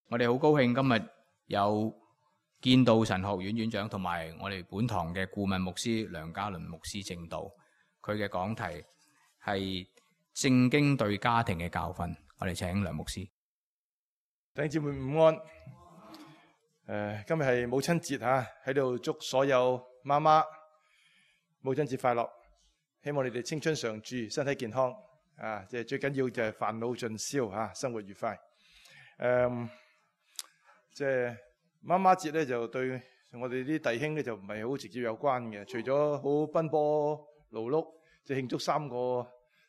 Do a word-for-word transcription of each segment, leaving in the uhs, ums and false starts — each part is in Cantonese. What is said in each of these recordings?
我哋好高興今日有建道神學院院長同埋我哋本堂嘅顧問牧師梁家麟牧師證道，佢嘅講題係聖經對家庭嘅教訓。我哋請梁牧師。弟兄姊妹午安。誒，今日係母親節吓，喺度祝所有媽媽母親節快樂。希望你哋青春常駐，身體健康啊！即係最緊要就係煩惱盡消吓，生活愉快。誒，即係媽媽節咧，就對我哋啲弟兄咧就唔係好直接有關嘅。除咗好奔波勞碌，即係慶祝三個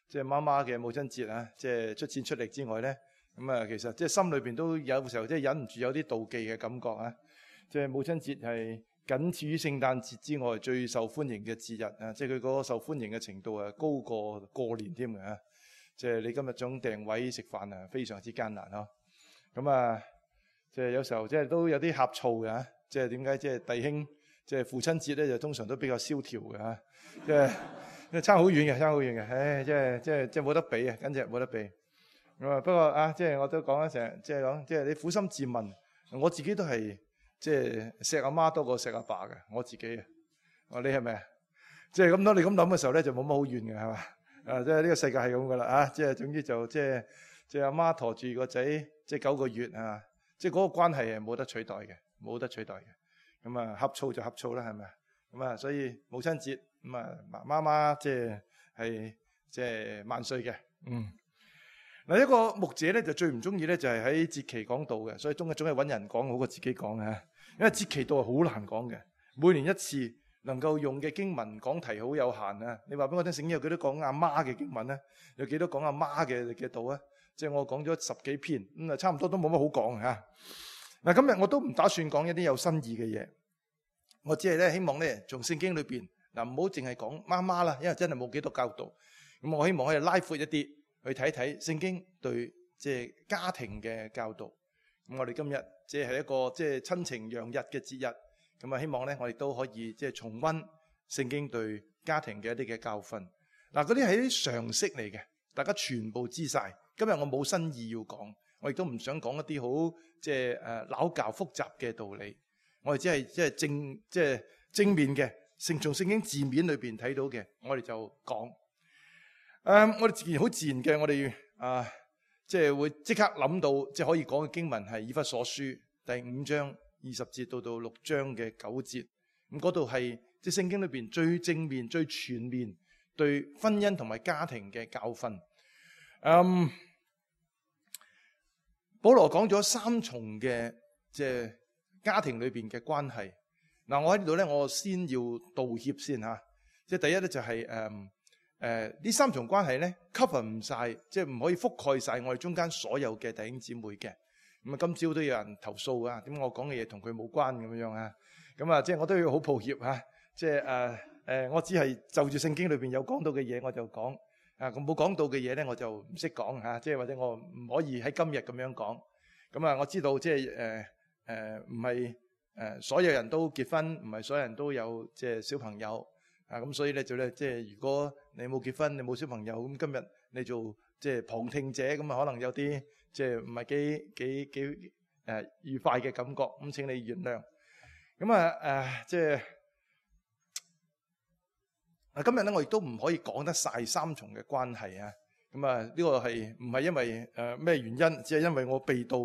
即係媽媽嘅母親節啊，即係出錢出力之外咧，咁啊，其實即係心裏邊都有時候即係忍唔住有啲妒忌嘅感覺啊！即係母親節係僅次於聖誕節之外最受歡迎嘅節日啊！即係佢嗰個受歡迎嘅程度啊，高過過年添嘅嚇。即係你今日想訂位食飯啊，非常之艱難呵。咁啊，即係有時候即係都有啲呷醋嘅嚇。即係點解即係弟兄即係父親節咧，就通常都比較蕭條嘅嚇。即係差好遠嘅，差好遠嘅。唉，即係即係即係冇得比啊，簡直冇得比。咁啊，不過啊，即係我都講咗成日，即係講即係你苦心自問，我自己都係即係錫阿媽多過錫阿爸嘅，我自己啊。我你係咪啊？即係咁當你咁諗嘅時候咧，就冇乜好怨嘅係嘛？啊，即係呢個世界係咁噶啦啊！即係總之就即係即係阿媽馱住個仔即係九個月啊！即係嗰個關係係冇得取代嘅，冇得取代嘅。咁啊，呷醋就呷醋啦，係咪啊？咁啊，所以母親節咁啊，媽媽即係係即係萬歲嘅。嗯。嗱，一個牧者咧就最唔中意咧就係喺節期講道嘅，所以總係總係揾人講好過自己講啊。因為節期道係好難講嘅，每年一次能夠用嘅經文講題好有限啊。你話俾我聽，聖經有幾多講阿媽嘅經文咧？有幾多講阿媽嘅嘅道啊？即係我講咗十幾篇，咁啊差唔多都冇乜好講嚇。嗱，今日我都唔打算講一啲有新意嘅嘢，我只係咧希望咧從聖經裏邊嗱，唔好淨係講媽媽啦，因為真係冇幾多教導。咁我希望可以拉闊一啲。去睇睇聖經對即係家庭嘅教導。咁我哋今日即係一個即係親情洋溢嘅節日，咁啊希望咧我哋都可以即係重溫聖經對家庭嘅一啲嘅教訓。嗱，嗰啲係啲常識嚟嘅，大家全部知晒。今日我冇新意要講，我亦都唔想講一啲好即係誒拗教複雜嘅道理。我哋只係即係正即係正面嘅，聖從聖經字面裏邊睇到嘅，我哋就講。誒、um，我哋自然好自然嘅，我哋啊，即係會即刻諗到，即係可以講嘅經文係以弗所書第五章二十節到到六章嘅九節。咁嗰度係即係聖經裏邊最正面、最全面對婚姻同埋家庭嘅教訓。嗯，保羅講咗三重嘅即係家庭裏邊嘅關係。嗱，我喺呢度咧，我先要道歉先吓。即係第一咧就係、是、誒。嗯誒、呃，呢三重關係咧 cover 唔晒，即係唔可以覆蓋晒我哋中間所有嘅弟兄姊妹嘅。咁啊，今朝都有人投訴啊，點解我講嘅嘢同佢冇關咁樣啊？咁啊，即係我都要好抱歉吓，即係誒誒，我只係就住聖經裏邊有講到嘅嘢我就講，啊，咁冇講到嘅嘢咧我就唔識講吓，即係或者我唔可以喺今日咁樣講。咁啊，我知道即係誒誒，唔係誒所有人都結婚，唔係所有人都有即係小朋友。啊，咁所以咧就咧，即係如果你冇結婚，你冇小朋友，咁今日你做即係旁聽者，咁啊可能有啲即係唔係幾幾幾誒愉快嘅感覺，咁請你原諒。咁啊誒，即係啊今日咧，我亦都唔可以講得晒三重嘅關係啊。咁啊呢個係唔係因為誒咩原因？只係因為我備到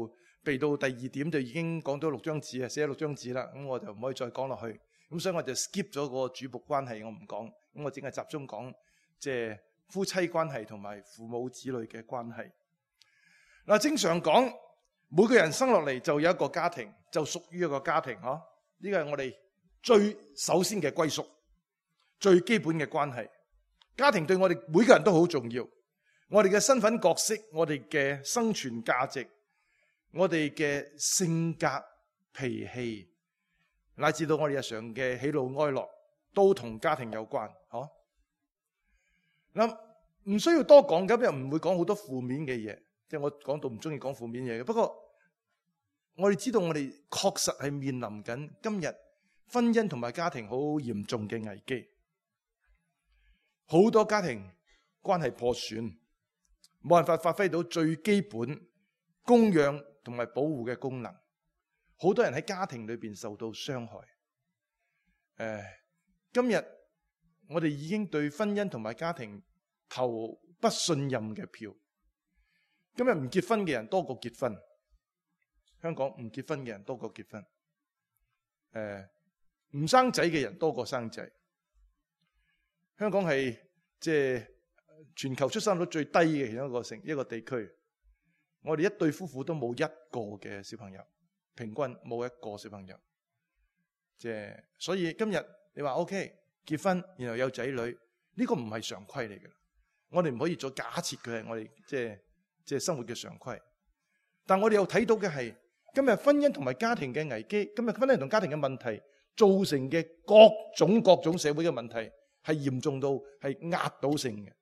備到第二點就已經講咗六張紙啊，寫咗六張紙啦，咁我就唔可以再講落去。咁所以我就 skip 咗個主僕關係，我唔講。咁我淨係集中講即係夫妻關係同埋父母子女嘅關係。嗱，正常講，每個人生落嚟就有一個家庭，就屬於一個家庭。嗬，呢個係我哋最首先嘅歸屬，最基本嘅關係。家庭對我哋每個人都好重要。我哋嘅身份角色，我哋嘅生存價值，我哋嘅性格脾氣，乃至到我哋日常嘅喜怒哀樂，都同家庭有關，嗬。嗱，唔需要多講，咁又唔會講好多負面嘅嘢，即係我講到唔中意講負面嘢嘅。不過我哋知道，我哋確實係面臨緊今日婚姻同埋家庭好嚴重嘅危機，好多家庭關係破損，冇辦法發揮到最基本供養同埋保護嘅功能。好多人喺家庭裏邊受到傷害。誒，今日我哋已經對婚姻同埋家庭投不信任嘅票。今日唔結婚嘅人多過結婚，香港唔結婚嘅人多過結婚。誒，唔生仔嘅人多過生仔。香港係即係全球出生率最低嘅其中一個城一個地區。我哋一對夫婦都冇一個嘅小朋友，平均冇一個小朋友。即係所以今日你話 OK 結婚，然後有仔女，呢個唔係常規嚟嘅。我哋唔可以再假設佢係我哋即係即係生活嘅常規。但我哋又睇到嘅係今日婚姻同埋家庭嘅危機，今日婚姻同家庭嘅問題造成嘅各種各種社會嘅問題係嚴重到係壓倒性嘅。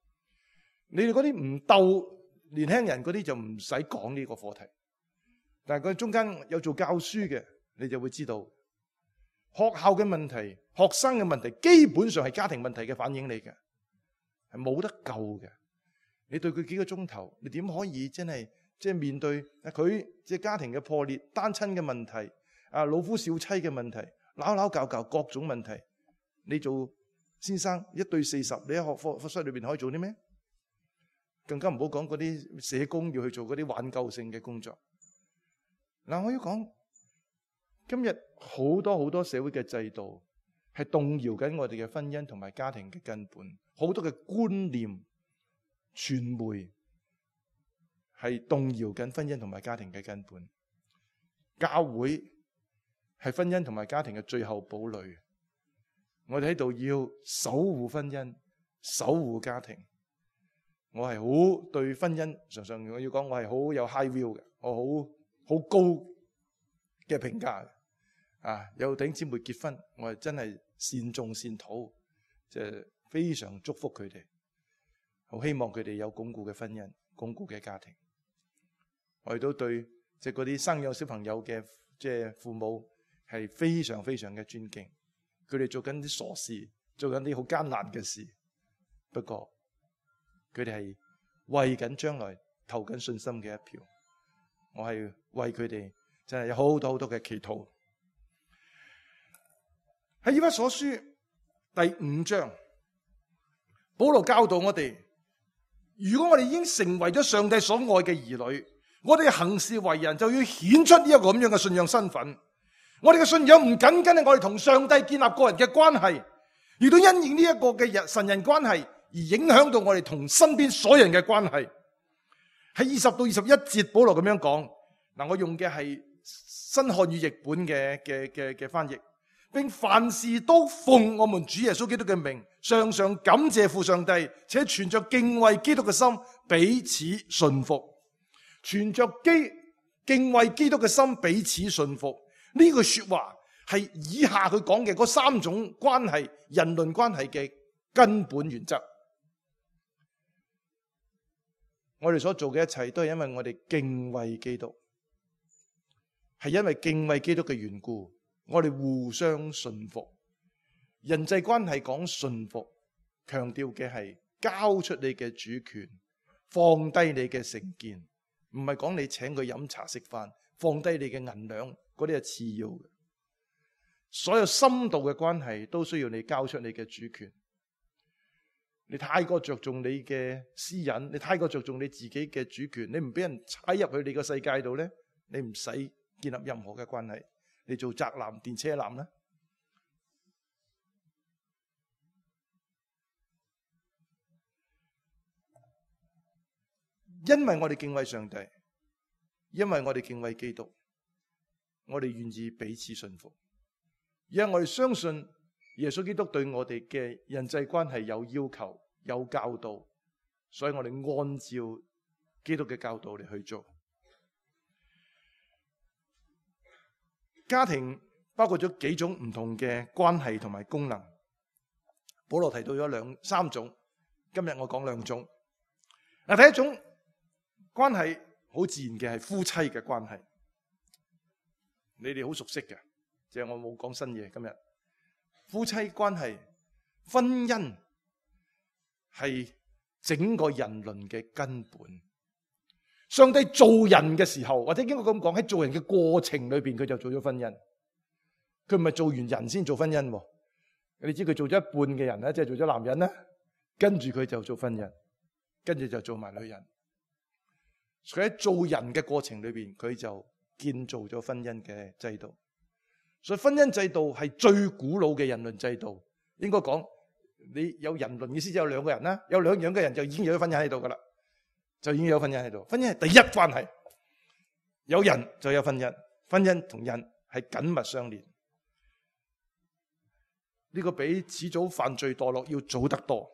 你哋嗰啲唔鬥年輕人嗰啲就唔使講呢個課題，但係佢中間有做教書嘅，你就會知道學校嘅問題、學生嘅問題，基本上係家庭問題嘅反應嚟嘅，係冇得救嘅。你對佢幾個鐘頭，你點可以真係即係面對佢即係家庭嘅破裂、單親嘅問題、啊老夫少妻嘅問題、鬧鬧教教各種問題？你做先生一對四十，你喺學課課室裏邊可以做啲咩？更加唔好講嗰啲社工要去做嗰啲挽救性嘅工作。嗱，我要講今日好多好多社會嘅制度係動搖緊我哋嘅婚姻同埋家庭嘅根本，好多嘅觀念、傳媒係動搖緊婚姻同埋家庭嘅根本。教會係婚姻同埋家庭嘅最後堡壘。我哋喺度要守護婚姻、守護家庭。我係好對婚姻，常常我要講，我係好有 high view 嘅，我好好高嘅評價嘅。啊，有弟兄姊妹結婚，我係真係善頌善禱，即係非常祝福佢哋，好希望佢哋有鞏固嘅婚姻、鞏固嘅家庭。我亦都對即係嗰啲生養小朋友嘅即係父母係非常非常嘅尊敬。佢哋做緊啲傻事，做緊啲好艱難嘅事，不過佢哋係為緊將來投緊信心嘅一票。我係為佢哋真係有好多好多嘅祈禱。喺以弗所書第五章，保羅教導我哋，如果我哋已經成為咗上帝所愛嘅兒女，我哋行事為人就要顯出呢一個咁樣嘅信仰身份。我哋嘅信仰唔僅僅係我哋同上帝建立個人嘅關係，亦都因應呢一個嘅神人關係而影響到我哋同身邊所有人嘅關係。喺二十到二十一節，保羅咁樣講。嗱，我用嘅係新漢語譯本嘅嘅嘅嘅翻譯，並凡事都奉我們主耶穌基督嘅名，常常感謝父上帝，且存着敬畏基督嘅心，彼此順服。存着基敬畏基督嘅心，彼此順服。呢句說話係以下佢講嘅嗰三種關係，人倫關係嘅根本原則。我哋所做嘅一切都係因為我哋敬畏基督，係因為敬畏基督嘅緣故，我哋互相順服。人際關係講順服，強調嘅係交出你嘅主權，放低你嘅成見，唔係講你請佢飲茶食飯，放低你嘅銀兩。嗰啲係次要嘅，所有深度嘅關係都需要你交出你嘅主權。你太過着重你嘅私隱，你太過着重你自己嘅主權，你唔俾人踩入去你個世界度咧，你唔使建立任何嘅關係。你做宅男、電車男啦。因為我哋敬畏上帝，因為我哋敬畏基督。我哋願意彼此信服，因為我哋相信耶穌基督對我哋嘅人際關係有要求、有教導，所以我哋按照基督嘅教導嚟去做。家庭包括咗幾種唔同嘅關係同埋功能，保羅提到咗兩三種，今日我講兩種。嗱，第一種關係好自然嘅係夫妻嘅關係。你哋好熟悉嘅，即係我冇講新嘢。今日夫妻關係、婚姻係整個人倫嘅根本，上帝做人嘅時候，或者應該咁講，喺做人嘅過程裏邊，佢就做咗婚姻。佢唔係做完人先做婚姻。你知佢做咗一半嘅人咧，即係做咗男人咧，跟住佢就做婚姻，跟住就做埋女人。佢喺做人嘅過程裏邊，佢就建造咗婚姻嘅制度。所以婚姻制度係最古老嘅人倫制度。應該講，你有人倫意思就有兩個人啦，有兩樣嘅人就已經有咗婚姻喺度噶啦，就已經有婚姻喺度。婚姻係第一關係，有人就有婚姻，婚姻同人係緊密相連。呢個比始祖犯罪墮落要早得多。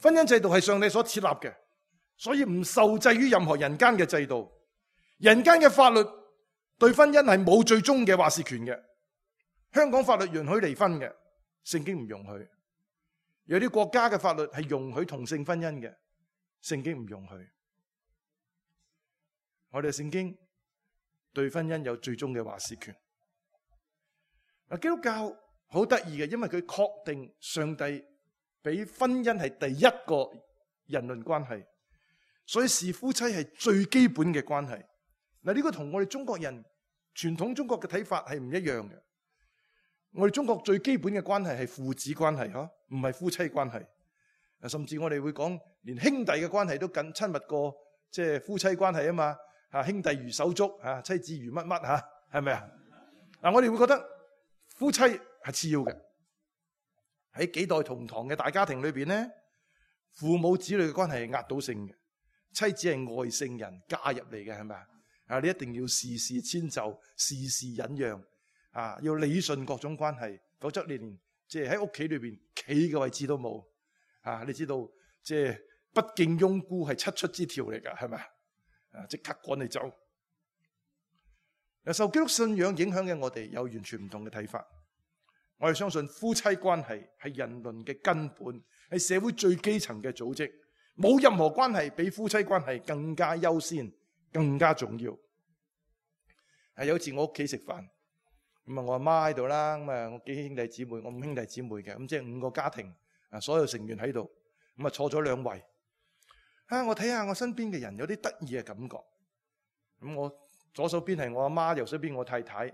婚姻制度係上帝所設立嘅，所以唔受制於任何人間嘅制度。人間嘅法律對婚姻係冇最終嘅話事權嘅。香港法律容許離婚嘅，聖經唔容許。有啲國家嘅法律係容許同性婚姻嘅，聖經唔容許。我哋聖經對婚姻有最終嘅話事權。基督教好得意嘅，因為佢確定上帝俾婚姻係第一個人倫關係，所以視夫妻係最基本嘅關係。嗱，呢個同我哋中國人傳統中國嘅睇法係唔一樣嘅。我哋中國最基本嘅關係係父子關係，嗬，唔係夫妻關係。甚至我哋會講，連兄弟嘅關係都更親密過即係夫妻關係啊嘛。吓，兄弟如手足，吓，妻子如乜乜，吓，係咪啊？嗱，我哋會覺得夫妻係次要嘅。喺幾代同堂嘅大家庭裏邊咧，父母子女嘅關係係壓倒性嘅。妻子係外姓人嫁入嚟嘅，係咪啊？啊，你一定要事事遷就，事事忍讓，啊，要理順各種關係，否則你連即係喺屋企裏邊企嘅位置都冇。啊，你知道即係不敬翁姑係七出之條嚟噶，係咪啊？啊，即刻趕你走。受基督信仰影響嘅我哋有完全唔同嘅睇法。我哋相信夫妻關係係人倫嘅根本，係社會最基層嘅組織，冇任何關係比夫妻關係更加優先、更加重要。係有一次我屋企食飯，咁啊我阿媽喺度啦，咁啊我幾兄弟姊妹，我五兄弟姊妹嘅，咁即係五個家庭啊，所有成員喺度，咁啊坐咗兩圍。啊，我睇下我身邊嘅人有啲得意嘅感覺。咁我左手邊係我阿媽，右手邊我太太。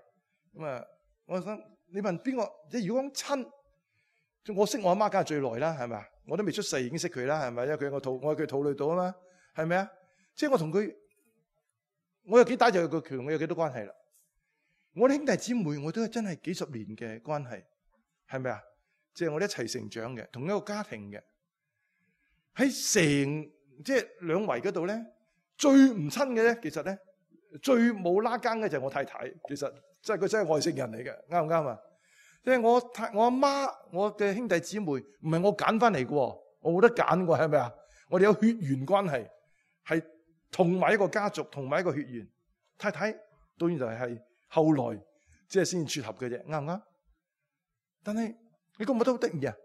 咁啊，我想你問邊個？即係如果講親，我識我阿媽梗係最耐啦，係咪啊？我都未出世已經識佢啦，係咪？因為佢喺我肚，我喺佢肚裏度啊嘛，係咪啊？即係我同佢，我有幾大就有個權，我有幾多關係啦。我啲兄弟姊妹，我都係真係幾十年嘅關係，係咪啊？即係我哋一齊成長嘅，同一個家庭嘅。喺成即係兩圍嗰度咧，最唔親嘅咧，其實咧最冇拉更嘅就係我太太。其實即係佢真係外姓人嚟嘅，啱唔啱啊？即係我太我阿媽，我嘅兄弟姊妹唔係我揀翻嚟嘅，我冇得揀嘅，係咪啊？我哋有血緣關係，係同埋一個家族，同埋一個血緣。太太當然就係後來即係先撮合嘅啫，啱唔啱？但係你覺唔覺得好得意啊？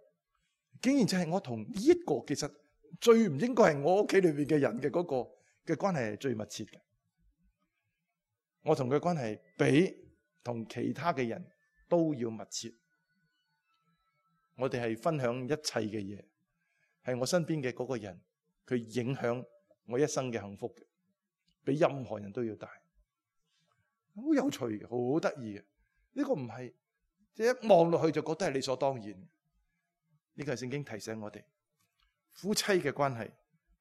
竟然就係我同呢一個其實最唔應該係我屋企裏邊嘅人嘅嗰個嘅關係係最密切嘅。我同佢關係比同其他嘅人都要密切。我哋係分享一切嘅嘢，係我身邊嘅嗰個人，佢影響我一生嘅幸福嘅，比任何人都要大。好有趣嘅，好得意嘅。呢個唔係即係一望落去就覺得係理所當然。呢個係聖經提醒我哋，夫妻嘅關係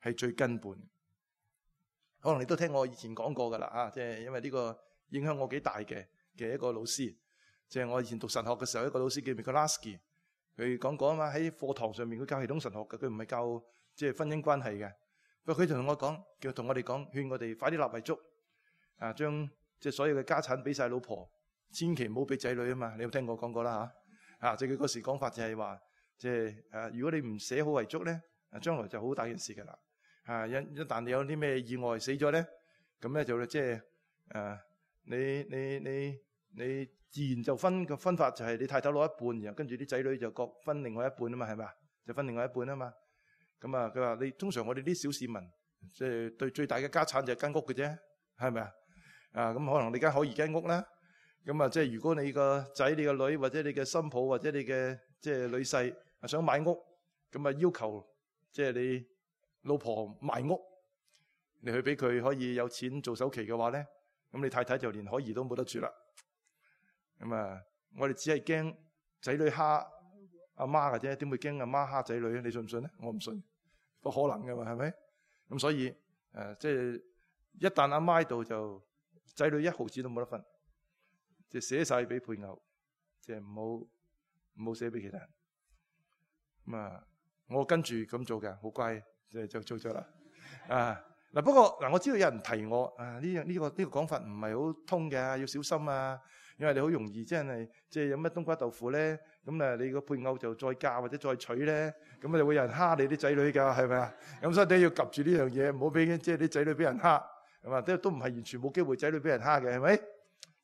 係最根本。可能你都聽我以前講過噶啦，啊，即係因為呢個影響我幾大嘅嘅一個老師，即係我以前讀神學嘅時候，一個老師叫 Mikolasky， 佢講過啊嘛，喺課堂上面佢教系統神學嘅，佢唔係教即係婚姻關係嘅。不過佢同我講，叫同我哋講，勸我哋快啲立遺囑，啊，將即係所有嘅家產俾晒老婆，千祈唔好俾仔女啊嘛。你有聽我講過啦吓？啊，即係佢嗰時講法就係話，即係誒，如果你唔寫好遺囑咧，啊，將來就好大件事噶啦。啊，一一旦你有啲咩意外死咗咧，咁咧就即係誒，你你你你自然就分個分法就係你太太攞一半，然後跟住啲仔女就各分另外一半啊嘛，係咪？就分另外一半啊嘛。咁啊，佢話你通常我哋啲小市民，即係對最大嘅家產就係間屋嘅啫，係咪啊？啊，咁可能你間可宜間屋啦。咁啊，即係如果你個仔、你個女或者你嘅新抱或者你嘅即係女婿想買屋，咁啊要求即係你老婆賣屋，你去俾佢可以有錢做首期嘅話咧，咁你太太就連可兒都冇得住啦。咁啊，我哋只係驚仔女蝦阿媽嘅啫，點會驚阿媽蝦仔女咧？你信唔信咧？我唔信，不可能噶嘛，係咪？咁所以誒，即係一旦阿媽喺度，就仔女一毫子都冇得分，即係寫晒俾配偶，即係唔好唔好寫俾其他人。咁啊，我跟住咁做嘅，好乖，即係就做咗啦。啊嗱，不過嗱，我知道有人提我啊，呢樣呢個呢個講法唔係好通嘅，要小心啊，因為你好容易即係即係有乜冬瓜豆腐咧，咁啊你個配偶就再嫁或者再娶咧，咁啊就會有人蝦你啲仔女㗎，係咪啊？咁所以你要及住呢樣嘢，唔好俾即係啲仔女俾人蝦，係嘛？都都唔係完全冇機會仔女俾人蝦嘅，係咪？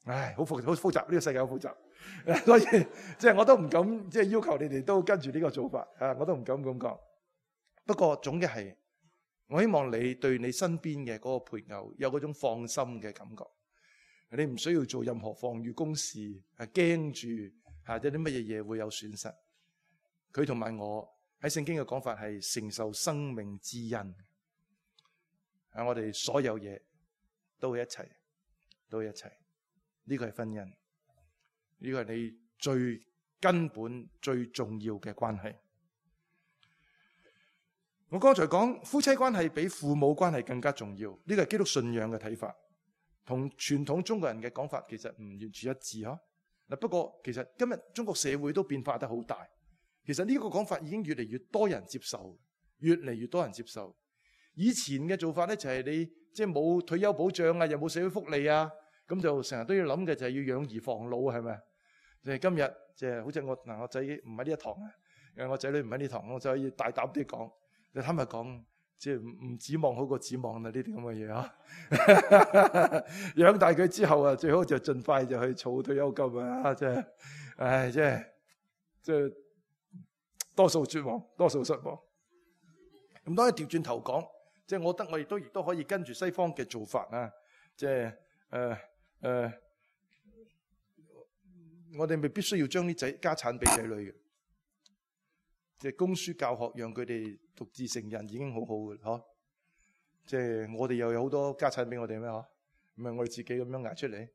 唉，好複好複雜，呢個世界好複雜，所以即係我都唔敢即係要求你哋都跟住呢個做法啊，我都唔敢咁講。不過總嘅係，我希望你對你身邊嘅嗰個配偶有嗰種放心嘅感覺，你唔需要做任何防禦工事，係驚住嚇有啲乜嘢嘢會有損失。佢同埋我喺聖經嘅講法係承受生命之恩，啊，我哋所有嘢都會一齊，都會一齊。呢個係婚姻，呢個係你最根本、最重要嘅關係。我剛才講夫妻關係比父母關係更加重要，呢個係基督信仰嘅睇法，同傳統中國人嘅講法其實唔完全一致嗬。嗱，不過其實今日中國社會都變化得好大，其實呢個講法已經越嚟越多人接受，越嚟越多人接受。以前嘅做法咧就係你即係冇退休保障啊，又冇社會福利啊。咁就成日都要諗嘅就係要養兒防老，係咪？就係今日，即係好似我嗱，我仔唔喺呢一堂啊，誒，我仔女唔喺呢堂，我就可以大膽啲講。你坦白講，即係唔唔指望好過指望啦，呢啲咁嘅嘢啊。養大佢之後啊，最好就盡快就去儲退休金啊！即係，唉，即係，即係多數絕望，多數失望。咁當然調轉頭講，即係我覺得我亦都亦都可以跟住西方嘅做法啊，即係誒。誒、呃，我哋未必需要將啲仔家產俾仔女嘅，即係供書教學，讓佢哋獨自成人已經好好嘅，嗬。即係我哋又有好多家產俾我哋咩？嗬，唔係我哋自己咁樣捱出嚟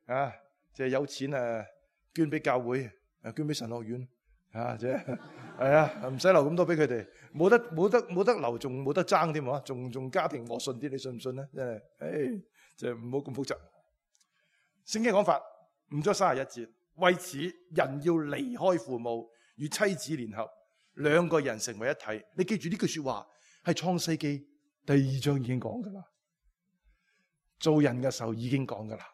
啊！即係有錢誒，捐俾教會，誒，捐俾神學院啊！即係係啊，唔使留咁多俾佢哋，冇得冇得冇得留，仲冇得爭添喎，仲仲家庭和順啲，你信唔信咧？真係，誒，即係唔好咁複雜。聖經講法五章三十一節，為此人要離開父母，與妻子聯合，兩個人成為一體。你記住呢句說話係創世記第二章已經講噶啦，做人嘅時候已經講噶啦，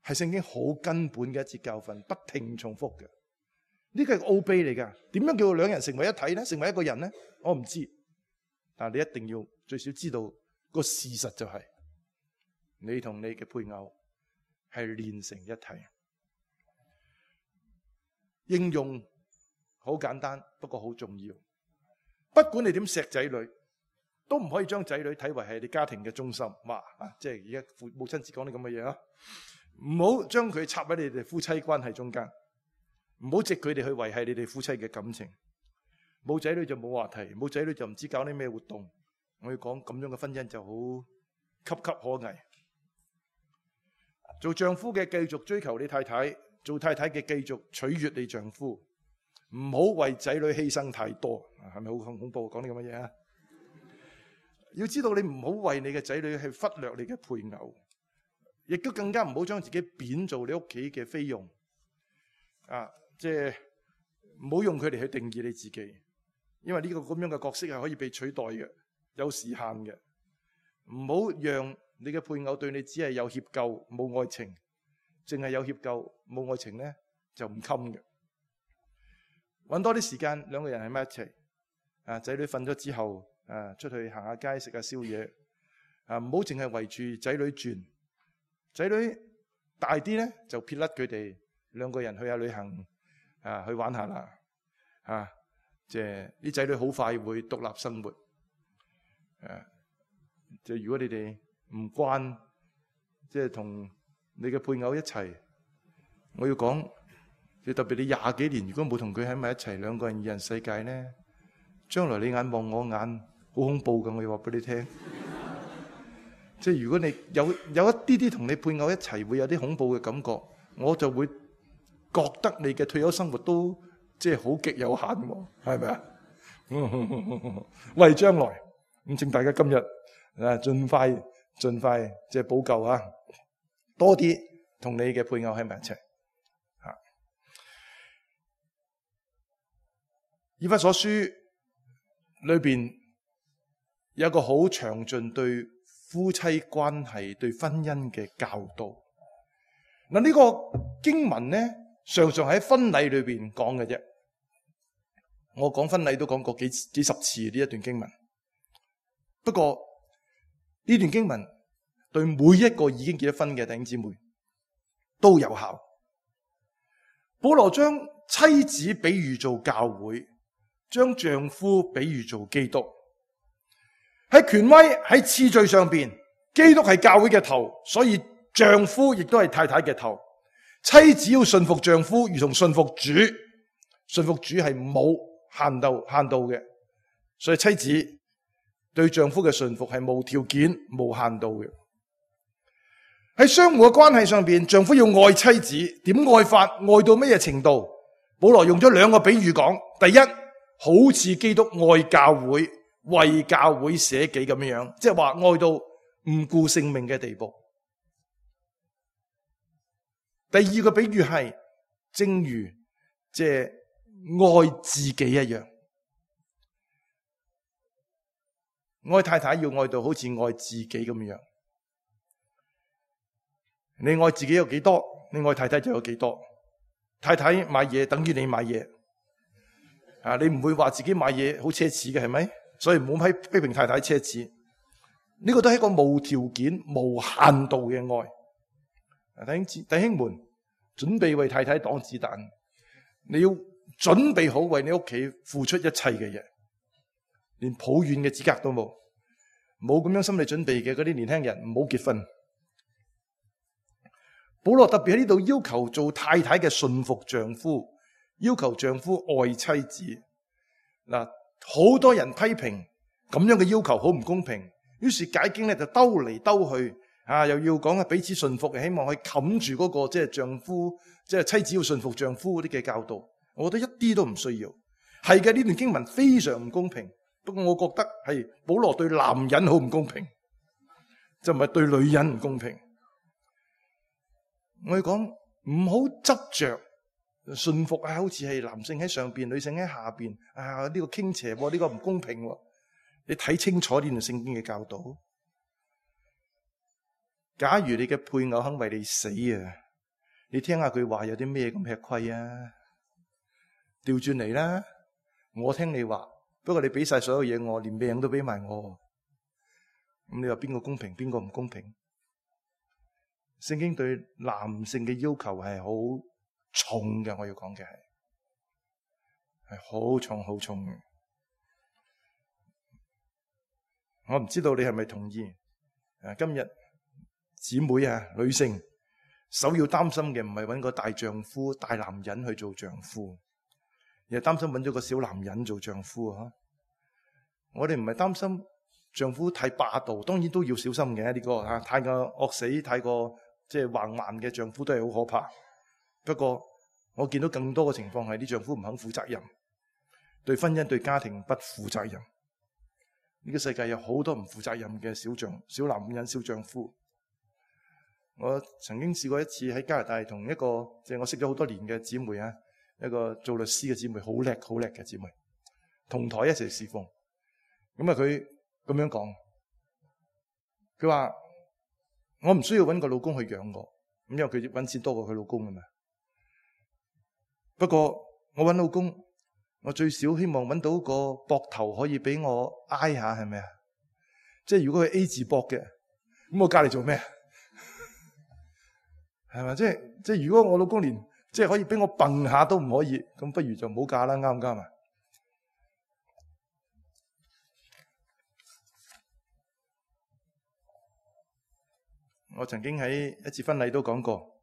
係聖經好根本嘅一節教訓，不停重複嘅。呢個係奧秘嚟噶，點樣叫做兩人成為一體咧？成為一個人咧？我唔知，但係你一定要最少知道個事實就係、是，你同你嘅配偶係連成一體。應用好簡單，不過好重要。不管你點錫仔女，都唔可以將仔女睇為係你家庭嘅中心。哇！啊，即係而家父母親節講啲咁嘅嘢啊，唔好將佢插喺你哋夫妻關係中間，唔好藉佢哋去維繫你哋夫妻嘅感情。冇仔女就冇話題，冇仔女就唔知搞啲咩活動。我要講咁樣嘅婚姻就好岌岌可危。做丈夫嘅繼續追求你太太，做太太嘅繼續取悅你丈夫，唔好為仔女犧牲太多，係咪好恐怖？講啲咁嘅嘢啊！要知道你唔好為你嘅仔女去忽略你嘅配偶，亦都更加唔好將自己貶做你屋企嘅菲傭啊！即係唔好用佢哋去定義你自己，因為呢個咁樣嘅角色係可以被取代嘅，有時限嘅。唔好讓你嘅配偶對你只係有歉疚冇愛情，淨係有歉疚冇愛情咧就唔襟嘅。搵多啲時間，兩個人喺埋一齊啊！仔女瞓咗之後啊，出去行下街食下宵夜啊！唔好淨係圍住仔女轉，仔女大啲咧就撇甩佢哋，兩個人去下旅行啊，去玩下啦啊！即係啲仔女好快會獨立生活誒。即係如果你哋唔慣，即係同你嘅配偶一齊，我要講，即特別你廿幾年如果冇同佢喺埋一齊，兩個人二人世界咧，將來你眼望我眼，好恐怖噶！我要話俾你聽，即係如果你有有一啲啲同你配偶一齊會有啲恐怖嘅感覺，我就會覺得你嘅退休生活都即係好極有限喎，係咪啊？為將來咁，請大家今日啊盡快盡快即係補救啊，多啲同你嘅配偶喺埋一齊。吓，以弗所書裏邊有一個好詳盡對夫妻關係、對婚姻嘅教導。嗱，呢個經文咧，常常喺婚禮裏邊講嘅啫。我講婚禮都講過幾幾十次呢一段經文。不過呢段經文對每一個已經結咗婚嘅弟兄姊妹都有效。保羅將妻子比喻做教會，將丈夫比喻做基督。喺權威喺次序上邊，基督係教會嘅頭，所以丈夫亦都係太太嘅頭。妻子要順服丈夫，如同順服主。順服主係冇限度限度嘅，所以妻子對丈夫嘅順服係無條件、無限度嘅。喺相互嘅關係上邊，丈夫要愛妻子，點愛法？愛到乜嘢程度？保羅用咗兩個比喻講。第一，好似基督愛教會，為教會捨己咁樣樣，即係話愛到唔顧性命嘅地步。第二個比喻係正如即係愛自己一樣，愛太太要愛到好似愛自己咁樣。你愛自己有幾多，你愛太太就有幾多。太太買嘢等於你買嘢啊，你唔會話自己買嘢好奢侈嘅，係咪？所以唔好批批評太太奢侈。呢、這個都係一個無條件、無限度嘅愛。弟兄弟兄們，準備為太太擋子彈，你要準備好為你屋企付出一切嘅嘢，連抱怨嘅資格都冇，冇咁樣心理準備嘅嗰啲年輕人唔好結婚。保羅特別喺呢度要求做太太嘅順服丈夫，要求丈夫愛妻子。嗱，好多人批評咁樣嘅要求好唔公平，於是解經咧就兜嚟兜去。啊！又要講啊，彼此順服，希望去冚住嗰個即係丈夫，即係妻子要順服丈夫嗰啲嘅教導。我覺得一啲都唔需要。係嘅，呢段經文非常唔公平。不過我覺得係保羅對男人好唔公平，就唔係對女人唔公平。我哋講唔好執着順服啊，好似係男性喺上邊，女性喺下邊啊，呢個傾斜，呢個唔公平。你睇清楚呢段聖經嘅教導。假如你嘅配偶肯為你死啊，你聽下佢話有啲咩咁吃虧啊？調轉嚟啦，我聽你話，不過你俾晒所有嘢我，連命都俾埋我，咁你話邊個公平，邊個唔公平？聖經對男性嘅要求係好重嘅，我要講嘅係係好重好重嘅。我唔知道你係咪同意？誒，今日。姊妹啊，女性首要擔心嘅唔係揾個大丈夫、大男人去做丈夫，而係擔心揾咗個小男人做丈夫啊！我哋唔係擔心丈夫太霸道，當然都要小心嘅呢、這個啊，太過惡死、太過即係橫蠻嘅丈夫都係好可怕。不過我見到更多嘅情況係啲丈夫唔肯負責任，對婚姻、對家庭不負責任。呢、這個世界有好多唔負責任嘅小丈、小男人、小丈夫。我曾經試過一次喺加拿大同一個即係、就是、我識咗好多年嘅姊妹啊，一個做律師嘅姊妹，好叻好叻嘅姊妹，同台一齊侍奉。咁啊，佢咁樣講，佢話我唔需要搵個老公去養我，咁因為佢搵錢多過佢老公啊嘛。不過我搵老公，我最少希望搵到個膊頭可以俾我挨下，係咪啊？即係如果佢 A 字膊嘅，咁我嫁嚟做咩？係咪？即係即係，如果我老公連即係可以俾我蹦下都唔可以，咁不如就唔好嫁啦，啱唔啱啊？我曾經喺一次婚禮都講過，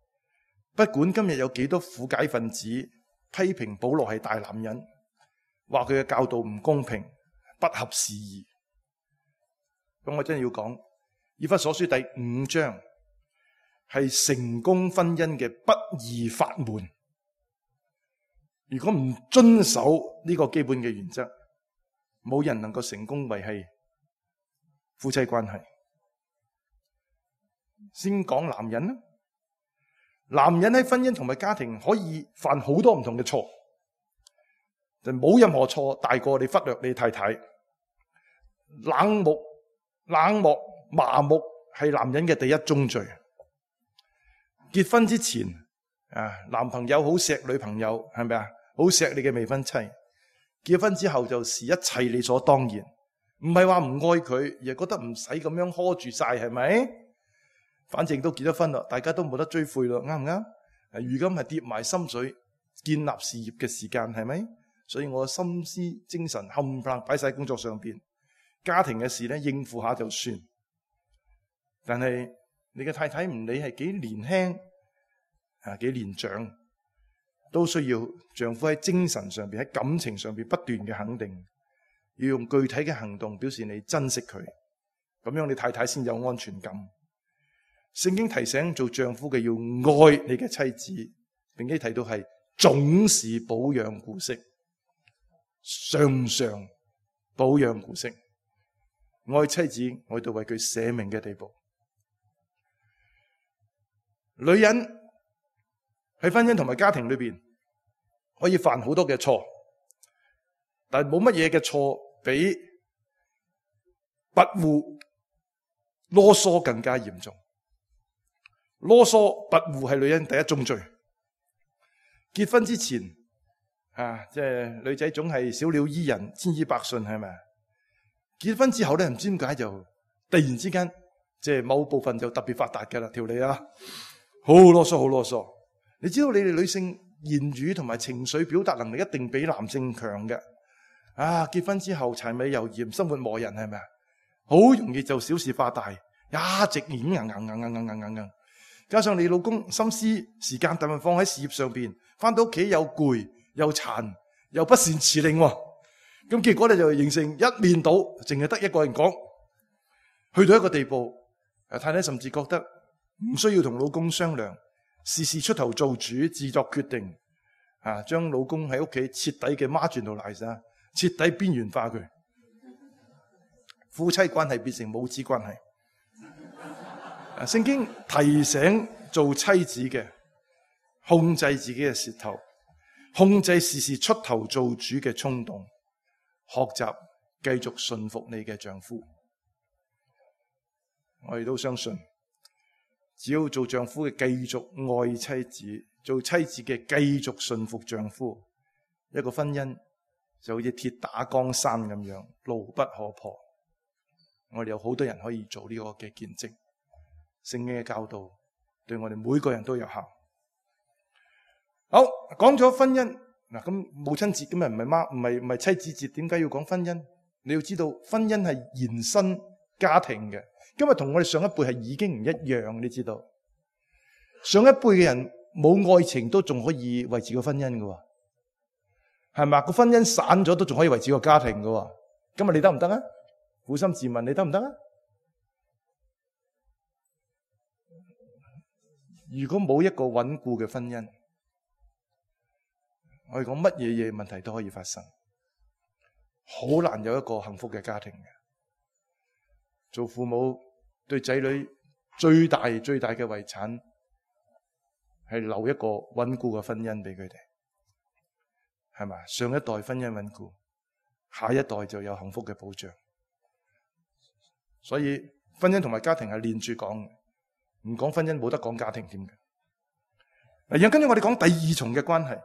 不管今日有幾多苦解分子批評保羅係大男人，話佢嘅教導唔公平、不合時宜，咁我真係要講，以弗所書第五章係成功婚姻嘅不二法門。如果唔遵守呢個基本嘅原則，冇人能夠成功維繫夫妻關係。先講男人啦，男人喺婚姻同埋家庭可以犯好多唔同嘅錯，就冇任何錯大過你忽略你太太。冷漠、冷漠、麻木係男人嘅第一宗罪。結婚之前啊，男朋友好錫女朋友，係咪啊？好錫你嘅未婚妻。結婚之後就視一切理所當然，唔係話唔愛佢，而係覺得唔使咁樣呵住晒，係咪？反正都結咗婚啦，大家都冇得追悔咯，啱唔啱？如今係跌埋心水建立事業嘅時間，係咪？所以我心思精神冚唪唥擺晒工作上邊，家庭嘅事咧應付下就算。但係你嘅太太唔理係幾年輕啊，幾年長，都需要丈夫喺精神上邊、喺感情上邊不斷嘅肯定，要用具體嘅行動表示你珍惜佢，咁樣你太太先有安全感。聖經提醒做丈夫嘅要愛你嘅妻子，並且提到係總是保養顧惜，常常保養顧惜，愛妻子愛到為佢捨命嘅地步。女人喺婚姻同埋家庭裏邊可以犯好多嘅錯，但係冇乜嘢嘅錯比跋扈囉嗦更加嚴重。囉嗦跋扈係女人第一宗罪。結婚之前啊，即係女仔總係小鳥依人，千依百順，係咪？結婚之後咧，唔知點解就突然之間，即係某部分就特別發達㗎啦，條脷啊，好囉嗦，好囉嗦。你知道你哋女性言語同埋情緒表達能力一定比男性強嘅。啊，結婚之後柴米油鹽，生活磨人，係咪啊？好容易就小事化大，一直演硬硬硬硬硬硬硬硬。加上你老公心思時間大部分放喺事業上邊，翻到屋企又攰又殘又不善辭令，咁結果咧就形成一面倒，淨係得一個人講，去到一個地步，太太甚至覺得唔需要同老公商量，事事出頭做主，自作決定，啊，將老公喺屋企徹底嘅 marginalize，徹底邊緣化佢，夫妻關係變成母子關係。聖經提醒做妻子嘅控制自己嘅舌頭，控制時時出頭做主嘅衝動，學習繼續順服你嘅丈夫。我哋都相信，只要做丈夫嘅繼續愛妻子，做妻子嘅繼續順服丈夫，一個婚姻就好似鐵打江山咁樣，牢不可破。我哋有好多人可以做呢個嘅見證。聖經嘅教導對我哋每個人都有效。好，講咗婚姻嗱，咁母親節今日唔係媽，唔係唔係妻子節，點解要講婚姻？你要知道，婚姻係延伸家庭嘅。今日同我哋上一輩係已經唔一樣，你知道？上一輩嘅人冇愛情都仲可以維持個婚姻㗎，係咪？個婚姻散咗都仲可以維持個家庭㗎。今日你得唔得啊？撫心自問，你得唔得啊？如果冇一個穩固嘅婚姻，我哋講乜嘢嘢問題都可以發生，好難有一個幸福嘅家庭嘅。做父母對仔女最大最大嘅遺產係留一個穩固嘅婚姻俾佢哋，係嘛？上一代婚姻穩固，下一代就有幸福嘅保障。所以婚姻同埋家庭係連住講嘅。唔講婚姻冇得講家庭添嘅。然後跟住我哋講第二重嘅關係，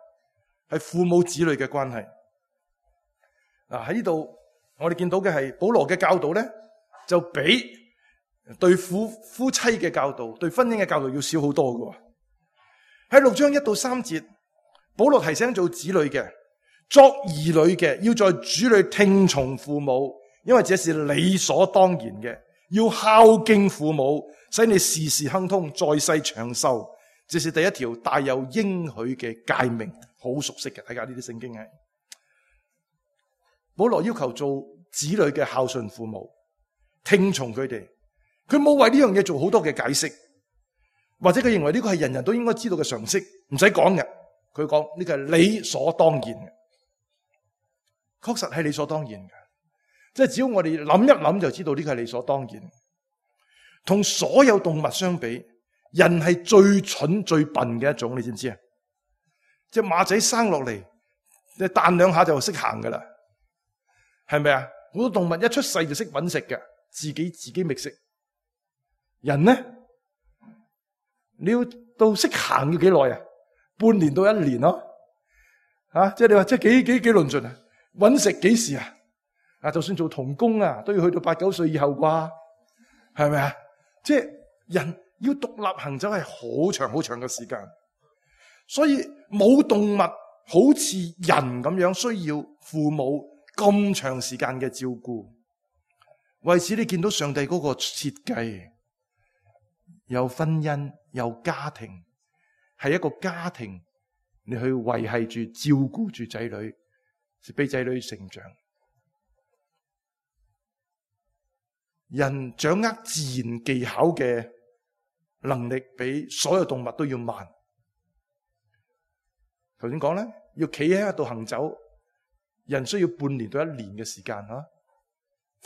係父母子女嘅關係。嗱，喺呢度我哋見到嘅係保羅嘅教導咧，就比對夫夫妻嘅教導、對婚姻嘅教導要少好多嘅。喺六章一到三節，保羅提醒做子女嘅、作兒女嘅，要在主裏聽從父母，因為這是理所當然嘅。要孝敬父母，使你事事亨通，在世長壽。這是第一條帶有應許嘅誡命，好熟悉嘅。睇下呢啲聖經係保羅要求做子女嘅孝順父母，聽從佢哋，佢冇為呢樣嘢做好多嘅解釋，或者佢認為呢個係人人都應該知道嘅常識，唔使講嘅。佢講呢個係理所當然嘅，確實係理所當然嘅。即係只要我哋諗一諗就知道呢個係理所當然。同所有動物相比，人係最蠢最笨嘅一種，你知唔知啊？隻馬仔生落嚟，你彈兩下就識行噶啦，係咪啊？好多動物一出世就識搵食嘅，自己自己覓食。人呢，你要到識行要幾耐啊？半年到一年咯，啊，即係你話即係幾幾幾論盡啊？搵食幾時啊？啊，就算做童工啊，都要去到八九歲以後啩，係咪啊？即係人要獨立行走係好長好長嘅時間，所以冇動物好似人咁樣需要父母咁長時間嘅照顧。為此你見到上帝嗰個設計，有婚姻，有家庭，係一個家庭，你去維繫住照顧住仔女，俾仔女成長。人掌握自然技巧嘅能力比所有動物都要慢。頭先講咧，要企喺一度行走，人需要半年到一年嘅時間吓，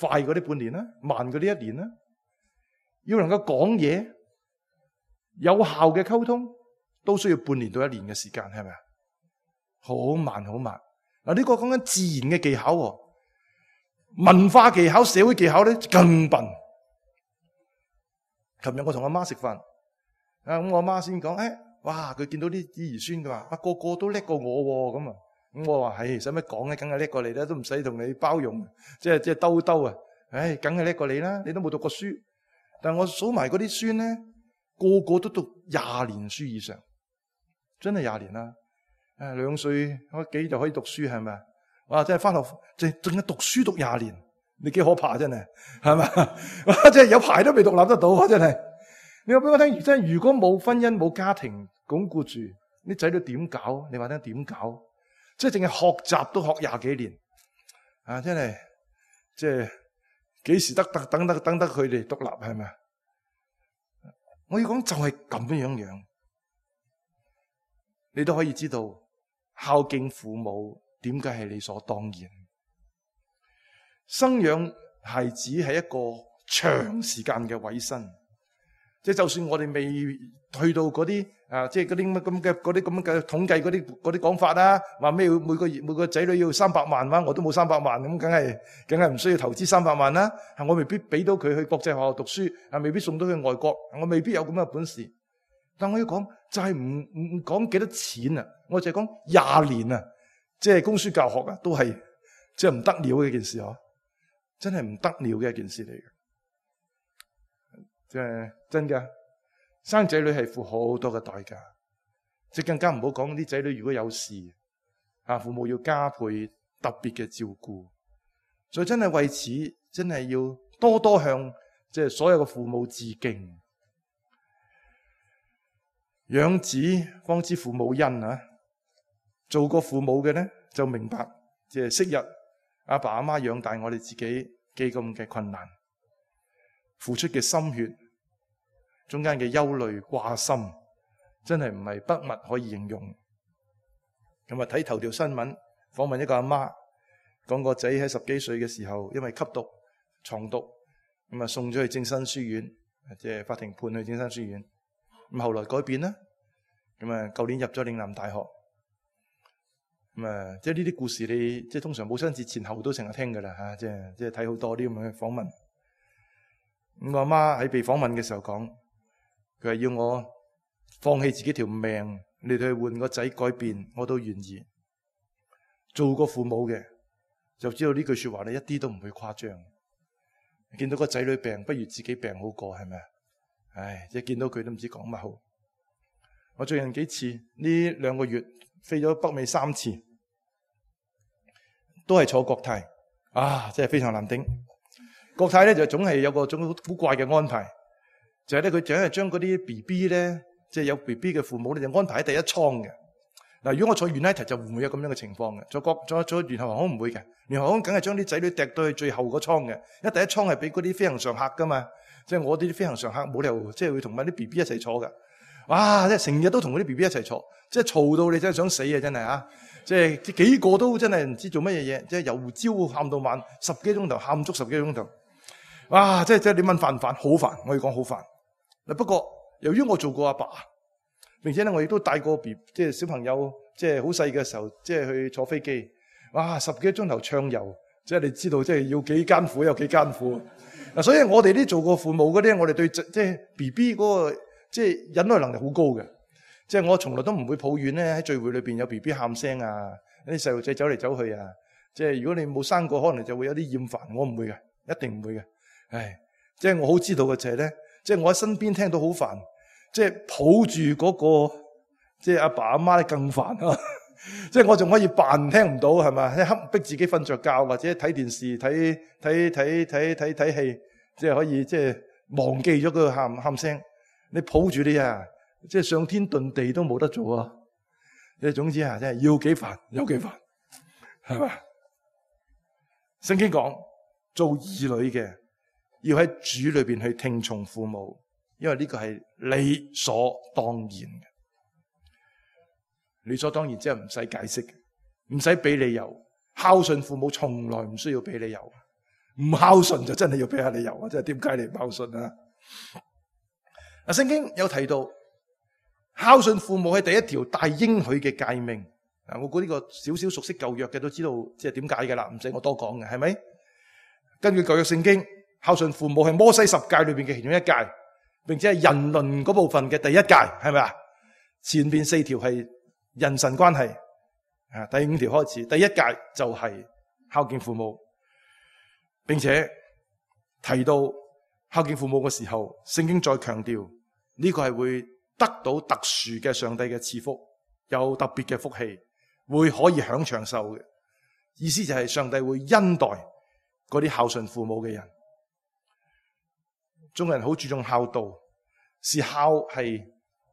快嗰啲半年啦，慢嗰啲一年啦。要能夠講嘢，有效嘅溝通，都需要半年到一年嘅時間，係咪啊？好慢好慢。嗱，呢個講緊自然嘅技巧喎。文化技巧、社會技巧咧更笨。琴日我同阿媽食飯，啊咁我阿媽先講，誒，哇佢見到啲兒孫嘅話，啊個個都叻過我咁啊，咁我話係使乜講咧，梗係叻過你啦，都唔使同你包容，即係即係兜兜啊，唉，梗係叻過你啦，你都冇讀過書。但係我數埋嗰啲孫咧，個個都讀廿年書以上，真係廿年啦。誒，兩歲幾就可以讀書係咪啊？哇！真係翻學，淨淨係讀書讀廿年，你幾可怕真係，係嘛？哇！真係有排都未獨立得到啊！真係，你話俾我聽，真係如果冇婚姻冇家庭鞏固住，啲仔女點搞？你話聽點搞？即係淨係學習都學廿幾年，啊！真係，即係幾時得得等得等得佢哋獨立係咪啊？我要講就係咁樣樣，你都可以知道孝敬父母。點解係理所當然？生養孩子係一個長時間嘅委身，即係就算我哋未去到嗰啲啊，即係嗰啲咁嘅嗰啲咁嘅統計嗰啲嗰啲講法啦，話咩每個月每個仔女要三百萬嘛，我都冇三百萬，咁梗係梗係唔需要投資三百萬啦。我未必俾到佢去國際學校讀書，啊，未必送到去外國，我未必有咁嘅本事。但我要講就係唔唔講幾多錢啊，我就係講廿年啊。即係供書教學啊，都係即係唔得了嘅一件事嗬，真係唔得了嘅一件事嚟嘅，即係真㗎。生仔女係付好多嘅代價，即係更加唔好講啲仔女如果有事啊，父母要加倍特別嘅照顧，所以真係為此真係要多多向即係所有嘅父母致敬。養子方知父母恩啊！做過父母嘅咧，就明白即係昔日阿爸阿媽養大我哋自己幾咁嘅困難，付出嘅心血，中間嘅憂慮掛心，真係唔係筆墨可以形容。咁啊，睇頭條新聞訪問一個阿媽，講個仔喺十幾歲嘅時候，因為吸毒、藏毒，咁啊送咗去正生書院，即係法庭判去正生書院。咁後來改變啦，咁啊舊年入咗嶺南大學。咁啊，即係呢啲故事你，你即係通常母親節前後都成日聽噶啦吓，即係即係睇好多啲咁嘅訪問。咁我阿媽喺被訪問嘅時候講，佢係要我放棄自己條命，你哋去換個仔改變，我都願意。做過父母嘅就知道呢句說話咧，一啲都唔會誇張。見到個仔女病，不如自己病好過，係咪啊？唉，即係見到佢都唔知講乜好。我最近幾次呢兩個月飛咗北美三次。都係坐國泰啊，真係非常難頂。國泰咧就總係有個種好古怪嘅安排，就係咧佢總係將嗰啲 B B 咧，即係有 B B 嘅父母咧，就安排喺第一艙嘅。嗱，如果我坐 United 就唔會有咁樣嘅情況嘅，坐國坐坐聯合航空唔會嘅，聯合航空梗係將啲仔女掟到去最後個艙嘅，因為第一艙係俾嗰啲飛行常客噶嘛，即係我啲飛行常客冇理由即係會同埋啲 B B 一齊坐㗎。哇！即係成日都同嗰啲 B B 一齊坐，即係嘈到你真係想死啊！真係啊！即係幾個都真係唔知做乜嘢嘢，即係由朝喊到晚，十幾鐘頭喊足十幾個鐘頭。哇！即係即係你問煩唔煩？好煩，我要講好煩。嗱，不過由於我做過阿爸，並且咧我亦都帶過 B 即係小朋友，即係好細嘅時候，即係去坐飛機。哇！十幾個鐘頭暢遊，即係你知道，即係要幾艱苦有幾艱苦。嗱，所以我哋啲做過父母嗰啲，我哋對即係 B B 嗰個即係忍耐能力好高嘅。即係我從來都唔會抱怨咧，喺聚會裏邊有 B B 喊聲啊，啲細路仔走嚟走去啊。即係如果你冇生過，可能就會有啲厭煩。我唔會嘅，一定唔會嘅。唉，即係我好知道嘅就係咧，即係我喺身邊聽到好煩，即係抱住嗰個即係阿爸阿媽咧更煩啊！即係我仲可以扮聽唔到係咪？即係逼自己瞓着覺或者睇電視睇睇睇睇睇睇戲，即係可以即係忘記咗嗰個喊喊聲。你抱住你啊！即係上天遁地都冇得做啊！即係總之啊，真係要幾煩有幾煩，係嘛？聖經講做兒女嘅要喺主裏邊去聽從父母，因為呢個係理所當然嘅。理所當然即係唔使解釋嘅，唔使俾理由。孝順父母從來唔需要俾理由，唔孝順就真係要俾下理由啊！即係點解你唔孝順啊？嗱，聖經有提到。孝順父母係第一條大應許嘅誡命。我估呢個少少熟悉舊約嘅都知道，即係點解嘅啦，唔使我多講嘅，係咪？根據舊約聖經，孝順父母係摩西十誡裏邊嘅其中一誡，並且係人倫嗰部分嘅第一誡，係咪啊？前邊四條係人神關係，啊，第五條開始，第一誡就係孝敬父母，並且提到孝敬父母嘅時候，聖經再強調呢個係會得到特殊嘅上帝嘅賜福，有特別嘅福氣，會可以享長壽嘅。意思就係上帝會恩待嗰啲孝順父母嘅人。中國人好注重孝道，是孝係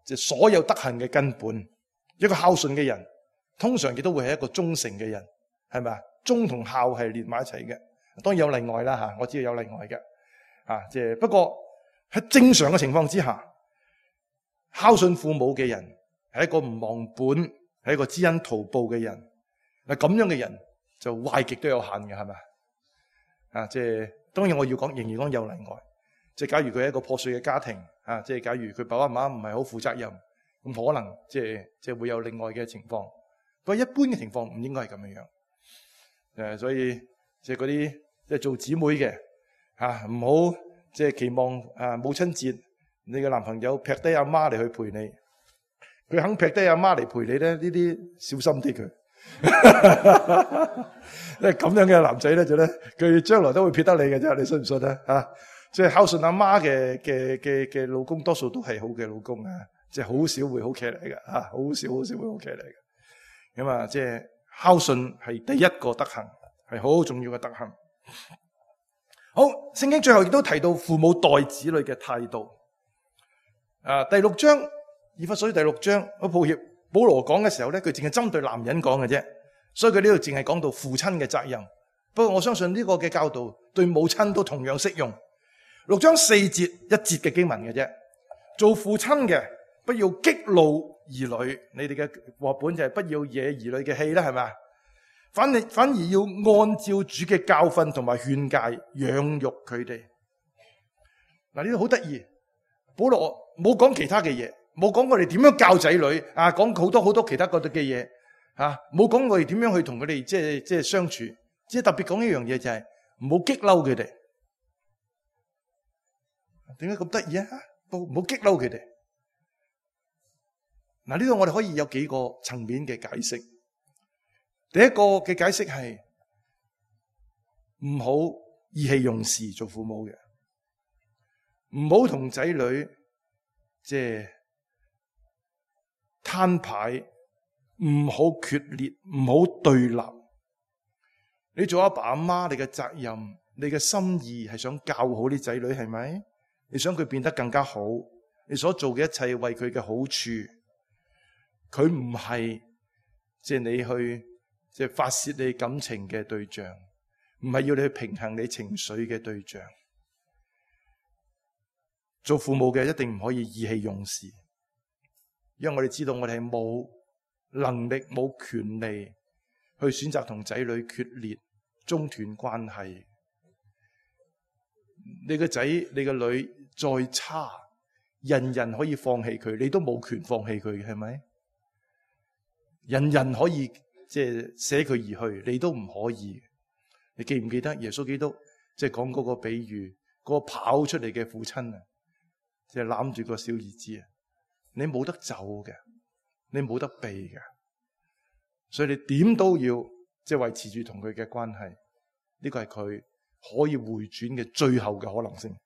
即係所有德行嘅根本。一個孝順嘅人，通常亦都會係一個忠誠嘅人，係咪啊？忠同孝係連埋一齊嘅，當然有例外啦吓，我知道有例外嘅，啊，即係不過喺正常嘅情況之下。孝順父母嘅人係一個唔忘本，係一個知恩圖報嘅人。嗱，咁樣嘅人就壞極都有限嘅，係咪啊？即係當然我要講，仍然講有例外。即係假如佢係一個破碎嘅家庭，啊，即係假如佢爸爸媽媽唔係好負責任，咁可能即係即係會有另外嘅情況。不過一般嘅情況唔應該係咁樣樣。誒，所以即係嗰啲即係做姊妹嘅，吓唔好即係期望啊母親節。你嘅男朋友劈低阿媽嚟去陪你，佢肯劈低阿媽嚟陪你咧，呢啲小心啲佢。因為咁樣嘅男仔咧，就咧佢將來都會撇得你嘅啫，你信唔信啊？吓，即係孝順阿媽嘅嘅嘅嘅老公，多數都係好嘅老公啊，即係好少會好騎嚟嘅吓，好少好少會好騎嚟嘅。咁啊，即係孝順係第一個德行，係好重要嘅德行。好，聖經最後亦都提到父母待子女嘅態度。啊，第六章，以弗所書第六章，好抱歉，保羅講嘅時候咧，佢淨係針對男人講嘅啫，所以佢呢度淨係講到父親嘅責任。不過我相信呢個嘅教導對母親都同樣適用。六章四節一節嘅經文嘅啫，做父親嘅不要激怒兒女，你哋嘅話本就係不要惹兒女嘅氣啦，係咪？反而反而要按照主嘅教訓同埋勸誡養育佢哋。嗱，呢度好得意，保羅冇講其他嘅嘢，冇講我哋點樣教仔女啊，講好多好多其他嗰啲嘅嘢啊，冇講我哋點樣去同佢哋即係即係相處，只係特別講一樣嘢就係唔好激嬲佢哋。點解咁得意啊？唔好激嬲佢哋。嗱，呢度我哋可以有幾個層面嘅解釋。第一個嘅解釋係唔好意氣用事做父母嘅，唔好同仔女即係攤牌，唔好決裂，唔好對立。你做阿爸阿媽，你嘅責任，你嘅心意係想教好啲仔女，係咪？你想佢變得更加好，你所做嘅一切為佢嘅好處，佢唔係即係你去即係發洩你感情嘅對象，唔係要你去平衡你情緒嘅對象。做父母嘅一定唔可以意氣用事，因為我哋知道我哋係冇能力、冇權利去選擇同仔女決裂、中斷關係。你個仔、你個女再差，人人可以放棄佢，你都冇權放棄佢，係咪？人人可以即係捨佢而去，你都唔可以。你記唔記得耶穌基督即係講嗰個比喻，嗰個跑出嚟嘅父親啊，即係攬住個小兒子啊，你冇得走嘅，你冇得避嘅，所以你點都要即係維持住同佢嘅關係。呢個係佢可以回轉嘅最後嘅可能性。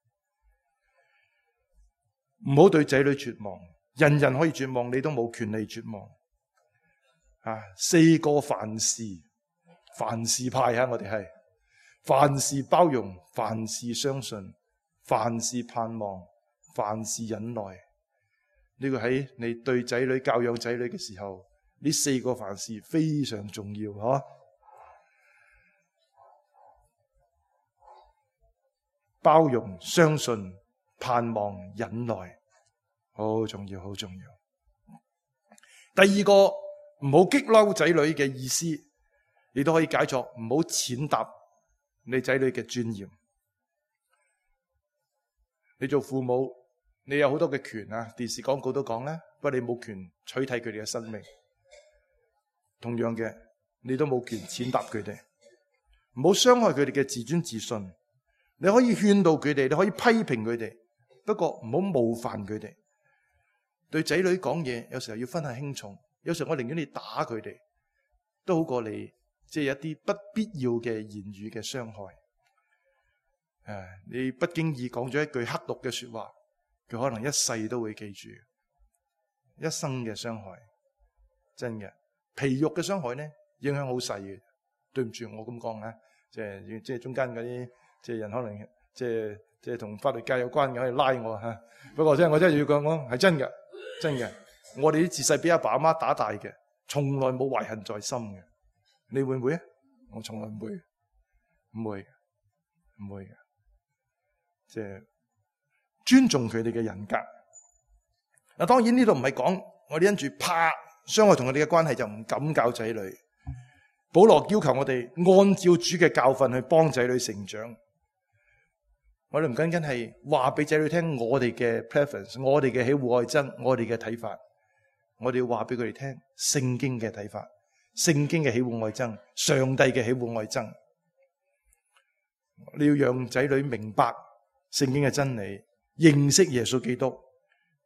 唔好對仔女絕望，人人可以絕望，你都冇權利絕望。啊，四個凡事，凡事派啊，我哋係凡事包容，凡事相信，凡事盼望，凡事忍耐。呢個喺你對仔女教養仔女嘅時候，呢四個凡事非常重要，嗬。包容、相信、盼望、忍耐，好重要，好重要。第二個，唔好激嬲仔女嘅意思，你都可以解作唔好踐踏你仔女嘅尊嚴。你做父母，你有好多嘅權啊，電視廣告都講啦，不過你冇權取締佢哋嘅生命。同樣嘅，你都冇權踐踏佢哋，唔好傷害佢哋嘅自尊自信。你可以勸導佢哋，你可以批評佢哋，不過唔好冒犯佢哋。對仔女講嘢，有時候要分下輕重。有時候我寧願你打佢哋，都好過你即係一啲不必要嘅言語嘅傷害。誒，你不經意講咗一句刻毒嘅說話，佢可能一世都會記住，一生嘅傷害，真嘅。皮肉嘅傷害呢，影響好細嘅。對唔住，我咁講啊，即係即係中間嗰啲。即係人可能即係即係同法律界有關嘅，可以拉我吓。不過真係我真係要講，我係真嘅，真嘅。我哋啲自細俾阿爸阿媽打大嘅，從來冇懷恨在心嘅。你會唔會啊？我從來唔會，唔會，唔會嘅。即係尊重佢哋嘅人格。嗱，當然呢度唔係講我哋因住怕傷害同佢哋嘅關係就唔敢教仔女。保羅要求我哋按照主嘅教訓去幫仔女成長。我哋唔僅僅係話俾仔女聽我哋嘅 preference， 我哋嘅喜惡愛憎，我哋嘅睇法，我哋要話俾佢哋聽聖經嘅睇法，聖經嘅喜惡愛憎，上帝嘅喜惡愛憎。你要讓仔女明白聖經嘅真理，認識耶穌基督，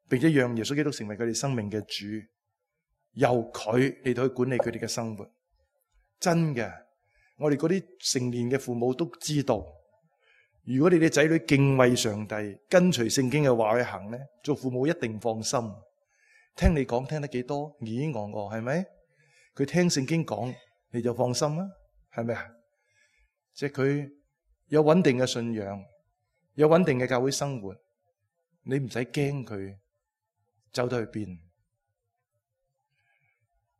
並且讓耶穌基督成為佢哋生命嘅主，由佢嚟到去管理佢哋嘅生活。真嘅，我哋嗰啲成年嘅父母都知道，如果你哋仔女敬畏上帝，跟隨聖經嘅話去行咧，做父母一定放心。聽你講聽得幾多，咦咦我我係咪？佢聽聖經講，你就放心啦，係咪啊？即係佢有穩定嘅信仰，有穩定嘅教會生活，你唔使驚佢走到去邊。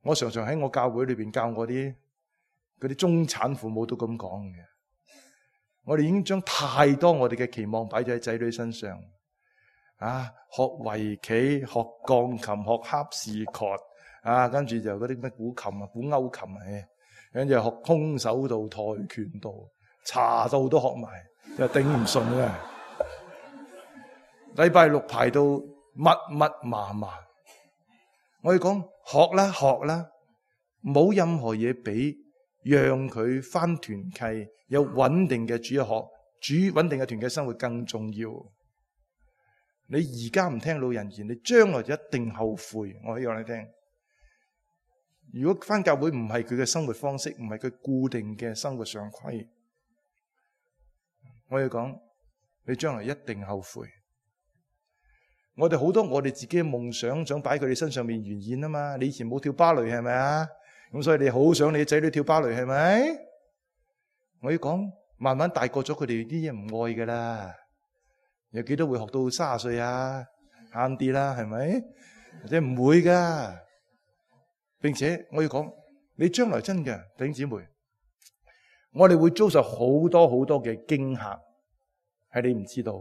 我常常喺我教會裏邊教我啲嗰啲中產父母都咁講嘅。我哋已經將太多我哋嘅期望擺咗喺仔女身上，啊，學圍棋、學鋼琴、學哈士陀，啊，跟住就嗰啲咩古琴啊、古歐琴啊，跟住學空手道、跆拳道、茶道都學埋，就頂唔順啊！禮拜六排到密密麻麻，我要講學啦學啦，冇任何嘢比讓佢返團契有穩定嘅主日學、主穩定嘅團契生活更重要。你而家唔聽老人言，你將來就一定後悔。我可以講你聽，如果返教會唔係佢嘅生活方式，唔係佢固定嘅生活常規，我要講你將來一定後悔。我哋好多我哋自己嘅夢想，想擺佢哋身上面圓現啊嘛。你以前冇跳芭蕾係咪啊？咁所以你好想你嘅仔女跳芭蕾係咪？我要講，慢慢大個咗，佢哋啲嘢唔愛噶啦。有幾多會學到三十歲啊？慳啲啦，係咪？或者唔會噶。並且我要講，你將來真嘅弟兄姊妹，我哋會遭受好多好多嘅驚嚇，係你唔知道。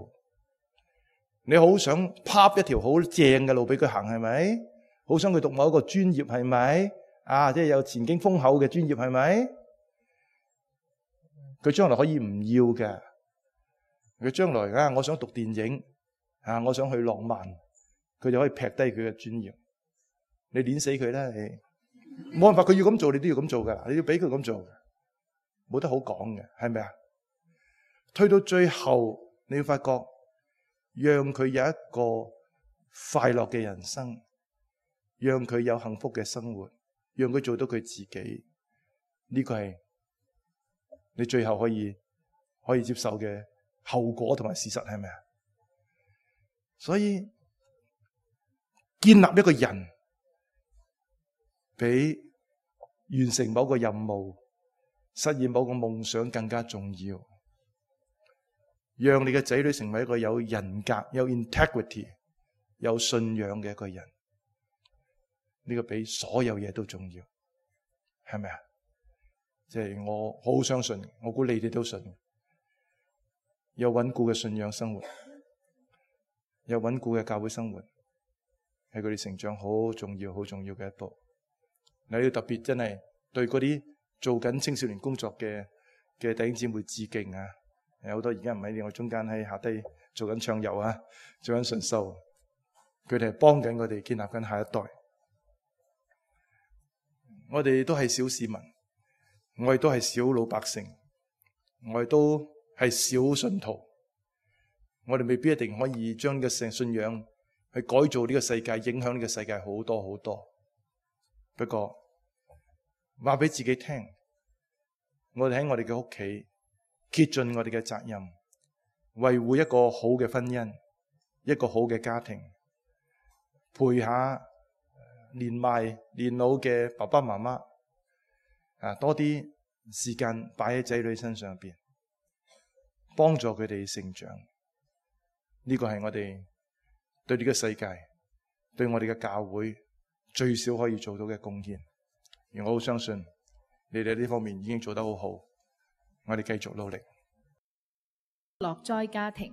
你好想拍一條好正嘅路俾佢行，係咪？好想佢讀某一個專業，係咪？啊，即係有前景豐厚嘅專業，係咪？佢將來可以唔要嘅。佢將來啊，我想讀電影啊，我想去浪漫，佢就可以劈低佢嘅專業。你碾死佢啦！你冇辦法，佢要咁做，你都要咁做噶。你要俾佢咁做，冇得好講嘅，係咪啊？推到最後，你要發覺，讓佢有一個快樂嘅人生，讓佢有幸福嘅生活，讓佢做到佢自己，呢個係你最後可以可以接受嘅後果同埋事實，係咪啊？所以建立一個人，比完成某個任務、實現某個夢想更加重要。讓你嘅仔女成為一個有人格、有 integrity、有信仰嘅一個人，呢個比所有嘢都重要，係咪啊？即係我好相信，我估你哋都信，有穩固嘅信仰生活，有穩固嘅教會生活，係佢哋成長好重要、好重要嘅一步。你要特別真係對嗰啲做緊青少年工作嘅嘅弟兄姊妹致敬啊！有好多而家唔喺我中間，喺下低做緊唱遊啊，做緊純秀，佢哋係幫緊我哋建立緊下一代。我哋都係小市民，我哋都係小老百姓，我哋都係小信徒，我哋未必一定可以將呢個聖信仰去改造呢個世界，影響呢個世界好多好多。不過話俾自己聽，我哋喺我哋嘅屋企竭盡我哋嘅責任，維護一個好嘅婚姻，一個好嘅家庭，陪下年邁年老嘅爸爸媽媽，啊，多啲時間擺喺仔女身上邊，幫助佢哋成長。呢個係我哋對呢個世界，對我哋嘅教會最少可以做到嘅貢獻。而我好相信你哋呢方面已經做得好好，我哋繼續努力。樂哉家庭。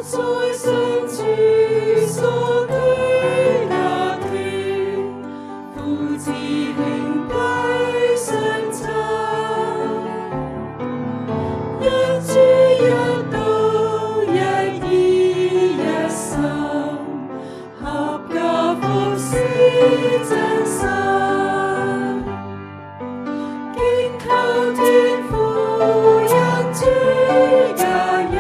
在上主所居家庭，父子兄弟相親，一主一道一意一心，合家服侍真心，敬求天父恩主家人。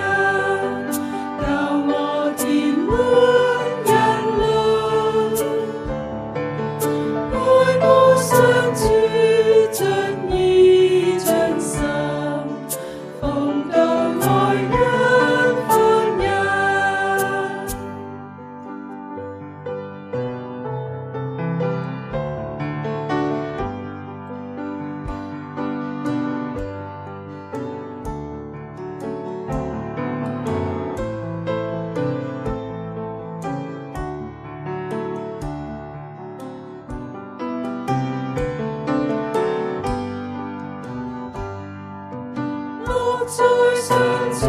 在上主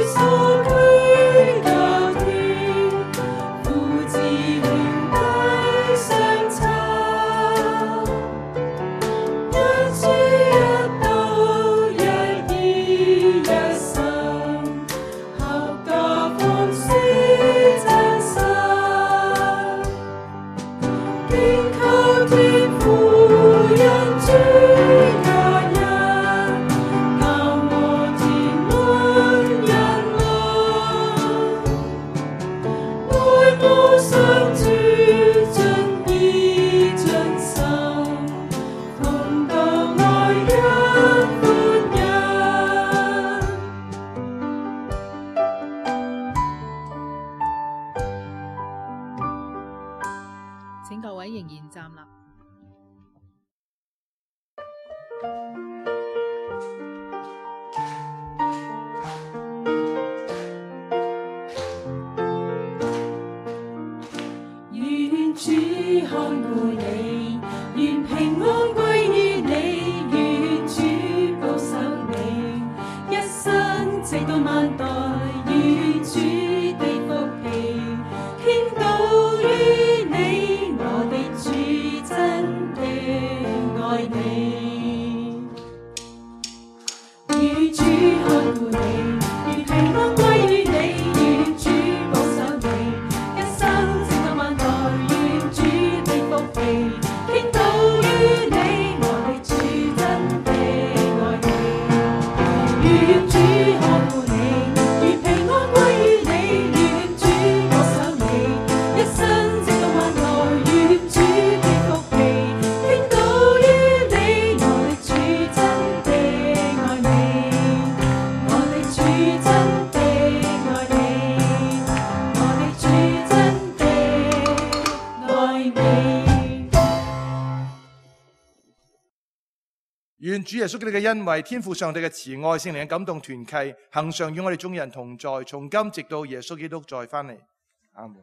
所居家庭，父子兄弟相親，一主一道一意一心，合家服侍真心，敬求天父恩主家人。請各位仍然站立。直到萬代，與主的福氣傾倒於你，我的主真的愛你，與主看顧你，願平安歸於你，願主保守你，一生直到萬代，願主的福氣傾倒於你，我的主真的愛你，願主看顧你，願平安歸於你，願主保守你，一生直到萬代，願主的福氣傾倒於你，我的主真的愛你，我的主真的愛你，我的主真的愛你。願主耶穌基督嘅恩惠、天父上帝嘅慈愛、聖靈嘅感動團契，恒常與我哋眾人同在，從今直到耶穌基督再翻嚟。阿門。